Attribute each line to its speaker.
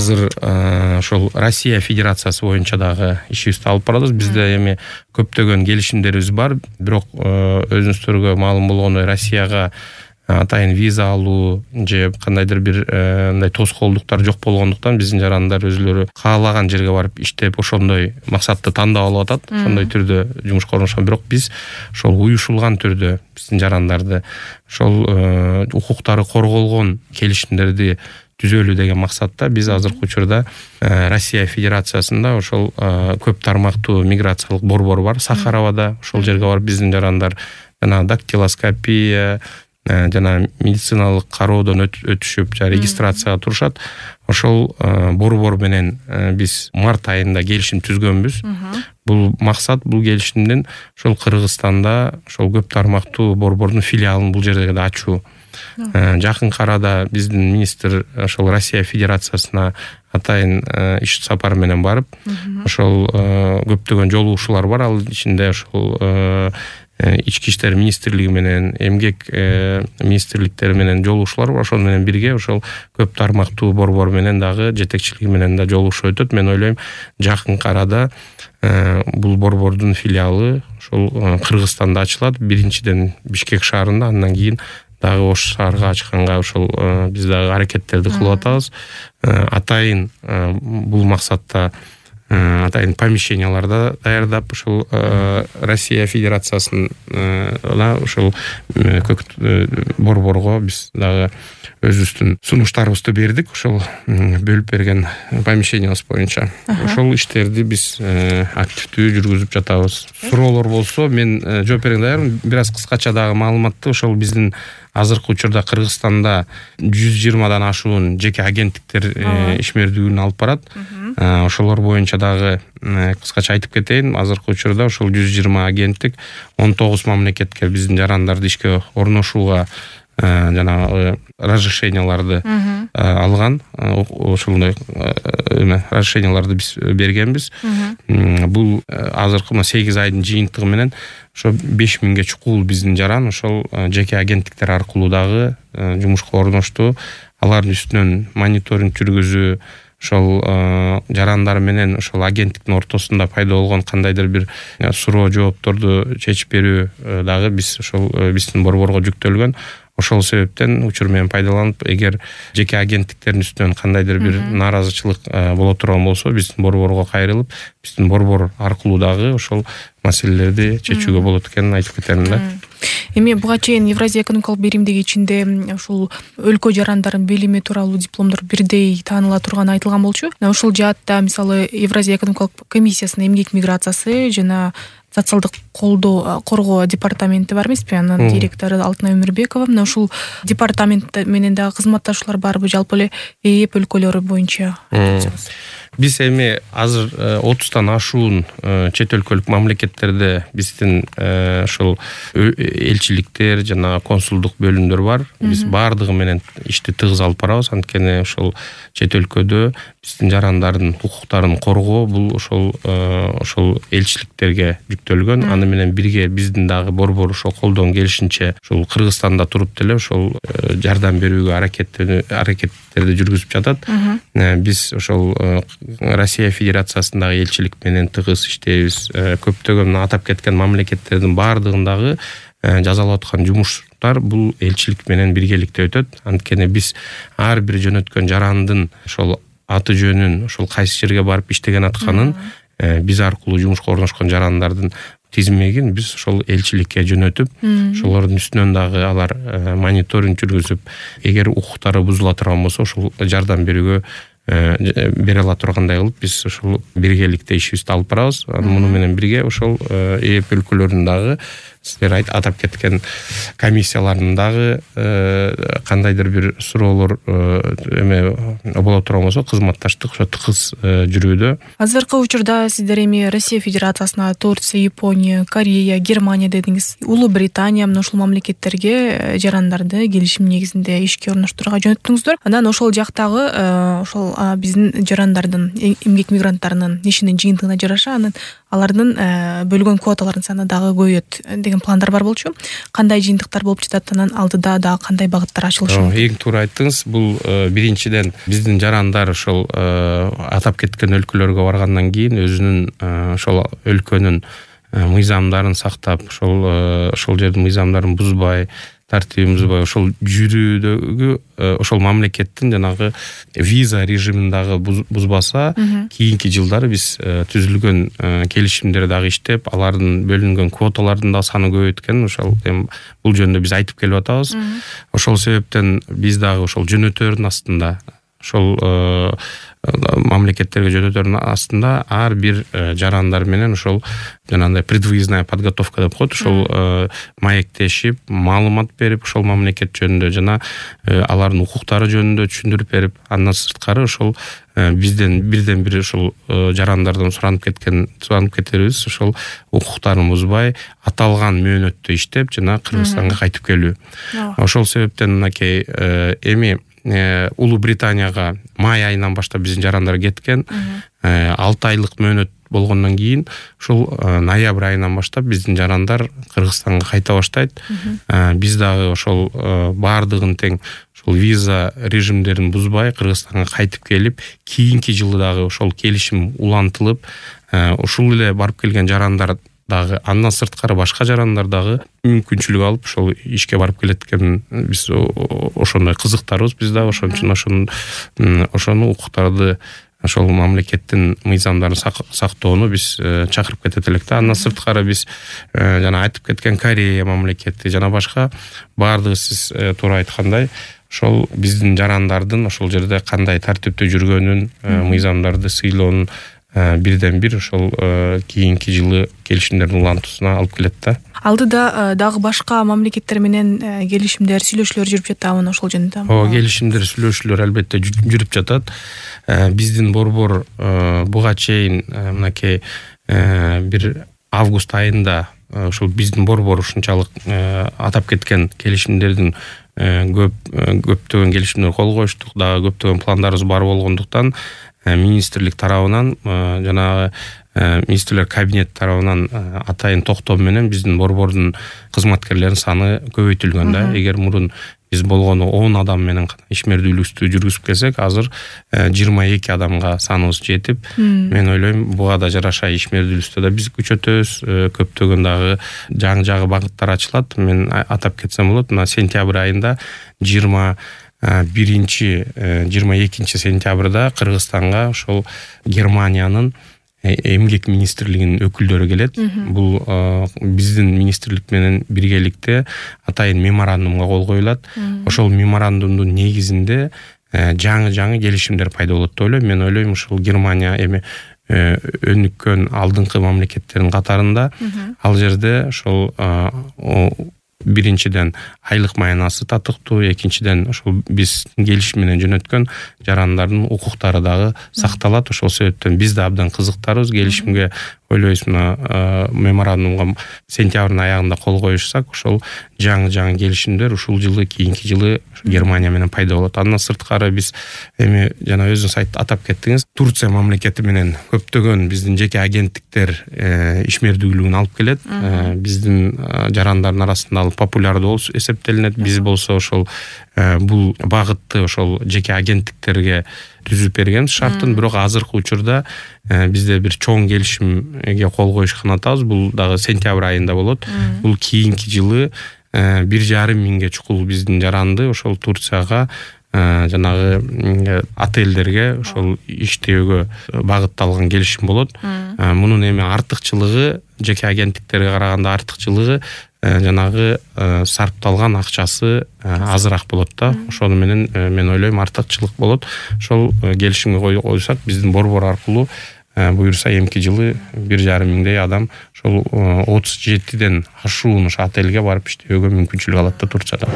Speaker 1: азыр ошол Россия Федерациясы боюнча дагы ишибизди алып барабыз. Бизде эми көптөгөн келишимдерибиз бар, бирок өзүңүздөргө маалым болгондой Россияга атайын виза алуу же кандайдыр бир мындай тоскоолдуктар жок болгондуктан биздин жарандар өзүлөрү каалаган жерге барып иштеп ошондой максатты тандап алып атат. Ошондой түрдө жумушка орношкон. Бирок биз ошол уюшулган түрдө биздин жарандарды ошол укуктары корголгон келишимдерди түзөлүү деген максатта биз азыркы учурда Россия Федерациясында ошол көп тармактуу миграциялык борбор бар Сахаровада. Ошол жерге барып биздин жарандар жана дактилоскопия жана медициналык кароодон өтүшүп, регистрацияга турушат. Ошол борбор менен биз март айында келишим түзгөнбүз. Бул максат, бул келишимден ошол Кыргызстанда ошол көп тармактуу борбордун филиалын бул жерде ачуу. Жакынкы арада биздин министр ошол Россия Федерациясына атайын иш сапар менен барып, ошол көптөгөн жолугушуулар бар. Ал ичинде ошол Ички иштер министрлиги менен, эмгек министрликтери менен жолугушуулар бар. Ошол менен бирге ошол көп тармактуу борбор менен дагы жетекчилиги менен да жолугушуу өтөт. Мен ойлойм, жакынкы арада бул борбордун филиалы ошол Кыргызстанда ачылат. Биринчиден Бишкек шаарында, андан кийин дагы Ош шаарга ачканга ошол биз дагы аракеттерди кылып атабыз. Атайын бул максатта атайын помещенияларда даярдап ошол Россия Федерациясына ошол борборго биз дагы өзүбүздүн сунуштарыбызды бердик. Ошол бөлүп берген помещениябыз боюнча ошол иштерди биз активдүү жүргүзүп жатабыз. Суроолор болсо мен жооп берүүгө даярмын. Бир аз кыскача дагы маалыматты ошол биздин азыркы учурда Кыргызстанда 120дан ашуун жеке агенттиктер ишмердүүлүгүн алып барат. Ошолор боюнча дагы кыскача айтып кетейин. Азыркы учурда ошол 120 агенттик 19 мамлекетке биздин жарандарды ишке орношууга жана разрешенияларды алган. Ошондой разрешенияларды биз бергенбиз. Бул азыркы 8 айдын жыйынтыгы менен ошо 5000ге чукул биздин жаран ошол жеке агенттиктер аркылуу дагы жумушка орношту. Алардын үстүнөн мониторинг жүргүзүү, ошол жарандар менен ошол агенттиктин ортосунда пайда болгон кандайдыр бир суроо жоопторду чечип берүү дагы биз ошол биздин борборго жүктөлгөн. Ошол себептен учур менен пайдаланып, эгер жеке агенттиктердин үстүнөн кандайдыр бир нааразычылык боло турган болсо, биздин борборго кайрылып, биздин борбор аркылуу дагы ошол маселелерди чечүүгө болот экенин айтып кетем да.
Speaker 2: Эми буга чейин Евразия экономикалык биримдиги ичинде ушул өлкө жарандарын билими тууралуу дипломдор бирдей тааныла турганы айтылган болчу. Ошол жаатта мисалы Евразия экономикалык комиссиясынын эмгек миграциясы жана социалдык коргоо департаменти бар эмеспи? Анын директору Алтынай Өмүрбекова. Мына ушул департамент менен дагы кызматташуулар барбы? Жалпы эле ЭЭП өлкөлөрү боюнча айтсаңыз.
Speaker 1: Биз эми азыр 30тан ашуун чет өлкөлүк мамлекеттерде биздин ошол элчиликтер жана консулдук бөлүмдөр бар. Биз баардыгы менен ишти тыгыз алып барабыз. Анткени ошол чет өлкөдө биздин жарандардын укуктарын коргоо бул ошол элчиликтерге жүктөлгөн. Аны менен бирге биздин дагы борбор ошол колдон келишинче ошол Кыргызстанда туруп деле ошол жардам берүүгө аракеттерди жүргүзүп жатат. Биз ошол Россия Федерациясындагы элчилик менен тыгыз иштейбиз. Көптөгөн атап кеткен мамлекеттердин баардыгындагы жазалап аткан жумуштар бул элчилик менен биргеликте өтөт. Анткени биз ар бир жөнөткөн жарандын ошол аты жөнүн, ошол кайсы жерге барып иштеген атканын биз аркылуу жумушка орношкон жарандардын тизмегин биз ошол элчиликке жөнөтүп, ошолордун үстүнөн дагы алар мониторинг жүргүзүп, эгер укуктары бузула турган болсо ошол жардам берүүгө бере ала тургандай кылып биз ошол биргеликте ишибизди алып барабыз. Муну менен бирге ошол ЭЭП өлкөлөрүнүн дагы силер атап кеткен комиссиялардын дагы кандайдыр бир суроолор боло турган болсо кызматташтык ошо тыгыз жүрүүдө.
Speaker 2: Азыркы учурда сиздер эми Россия Федерациясына Турция, Япония, Корея, Германия дедиңиз. Улуу Британия мына ушул мамлекеттерге жарандарды келишим негизинде ишке орноштурууга жөнөттүңүздөр. Анан ошол жактагы ошол биздин жарандардын, эмгек мигранттарынын ишинин жыйынтыгына жараша алардын бөлгөн квоталардын саны дагы көбөйөт деген пландар бар болчу. Кандай жыйынтыктар болуп жатат, анан алдыда дагы кандай багыттар ачылышы мүмкүн?
Speaker 1: Эң туура айттыңыз. Бул биринчиден биздин жарандар ошол атап кеткен өлкөлөргө баргандан кийин өзүнүн ошол өлкөнүн мыйзамдарын сактап, ошол жердин мыйзамдарын бузбай, тартибин бузбай, ошол жүрүүдөгү ошол мамлекеттин жанагы виза режимин дагы бузбаса, кийинки жылдары биз түзүлгөн келишимдер дагы иштеп, алардын бөлүнгөн квоталардын да саны көбөйткөн, ошол бул жөнүндө биз айтып келип атабыз. Ошол себептен биз дагы ошол жөнөтөрдүн астында, ошол мамлекеттерге жөнөтөрдүн астында ар бир жарандар менен ошол жанагындай предвыездная подготовка деп коет, ошол маектешип, маалымат берип, ошол мамлекет жөнүндө жана алардын укуктары жөнүндө түшүндүрүп берип, андан сырткары ошол бизден бирден бир ошол жарандардан суранып кетерибиз, ошол укуктарын бузбай, аталган мөөнөттө иштеп жана Кыргызстанга кайтып келүү. Ошол себептен мынакей эми Улуу Британияга май айынан баштап биздин жарандар кеткен. 6 айлык мөөнөт болгондон кийин ушул ноябрь айынан баштап биздин жарандар Кыргызстанга кайта баштайт. Биз дагы ошол баардыгын тең ошол виза режимдерин бузбай Кыргызстанга кайтып келип, кийинки жылы дагы ошол келишим улантылып, ушул эле барып келген жарандар дагы, андан сырткары башка жарандар дагы мүмкүнчүлүк алып ошол ишке барып келеткенин биз ошондой кызыктарбыз. Биз дагы ошон үчүн ошону укуктарды, ошол мамлекеттин мыйзамдарын сактоону биз чакырып кетет элек да. Андан сырткары биз жана айтып кеткен Корея мамлекети жана башка баардыгы сиз туура айткандай ошол биздин жарандардын ошол жерде кандай тартипте жүргөнүн, мыйзамдарды сыйлоонун бирден бир ошол кийинки жылы келишимдердин улантуусуна алып келет да.
Speaker 2: Алдыда дагы башка мамлекеттер менен келишимдер, сүйлөшүүлөр жүрүп жатабы ошол жөнүндө?
Speaker 1: Келишимдер, сүйлөшүүлөр албетте жүрүп жатат. Биздин борбор буга чейин мынакей бир август айында ошол биздин борбор ушунчалык атап кеткен келишимдердин көптөгөн келишимдерге кол коюштук, дагы көптөгөн пландарыбыз бар болгондуктан министрлик тарабынан жана министрлер кабинет тарабынан атайын токтом менен биздин борбордун кызматкерлеринин саны көбөйтүлгөн да. Эгер мурун биз болгону 10 адам менен ишмердүүлүктү жүргүзүп келсек, азыр 22 адамга саныбыз жетип, мен ойлойм буга да жараша ишмердүүлүктө да биз күчөтөбүз, көптөгөн дагы жаңы багыттар ачылат. Мен атап кетсем болот, мына сентябрь айында 22 сентябрда Кыргызстанга ошол Германиянын эмгек министрлигинин өкүлдөрү келет. Бул биздин министрлик менен биргеликте атайын меморандумга кол коюлат. Ошол меморандумдун негизинде жаңы келишимдер пайда болот деп ойлойм. Мен ойлойм ушул Германия эми өнүккөн алдыңкы мамлекеттердин катарында, ал жерде ошол биринчиден айлык маянасы татыктуу, экинчиден ошол биз келишим менен жөнөткөн жарандардын укуктары дагы сакталат. Ошол себептен биз да абдан кызыктарбыз келишимге. Ойлойбуз, мына меморандумга сентябрдын аягында кол коюшсак, ошол жаңы келишимдер ушул жылы, кийинки жылы Германия менен пайда болот. Андан сырткары биз эми жана өзүңүз атап кеттиңиз, Турция мамлекети менен көптөгөн биздин жеке агенттиктер ишмердүүлүгүн алып келет. Биздин жарандардын арасында ал популярдуу болуп эсептелинет. Биз болсо ошол бул багытты ошол жеке агенттиктерге түзүп берген шарттын, бирок азыркы учурда бизде бир чоң келишимге кол коюшкан атабыз. Бул дагы сентябрь айында болот. Бул кийинки жылы 1,5 миңге чукул биздин жаранды ошол Турцияга жанагы отелдерге ошол иштөөгө багытталган келишим болот. Мунун эми артыкчылыгы, жеке агенттиктерге караганда артыкчылыгы жанагы сарпталган акчасы азыраак болот да. Ошону менен мен ойлойм артыкчылык болот. Ошол келишимге койсак, биздин борбор аркылуу буюрса эмки жылы 1,5 миңдей адам ошол 37ден ашуун отелге барып иштөөгө мүмкүнчүлүк алат да Турцияда.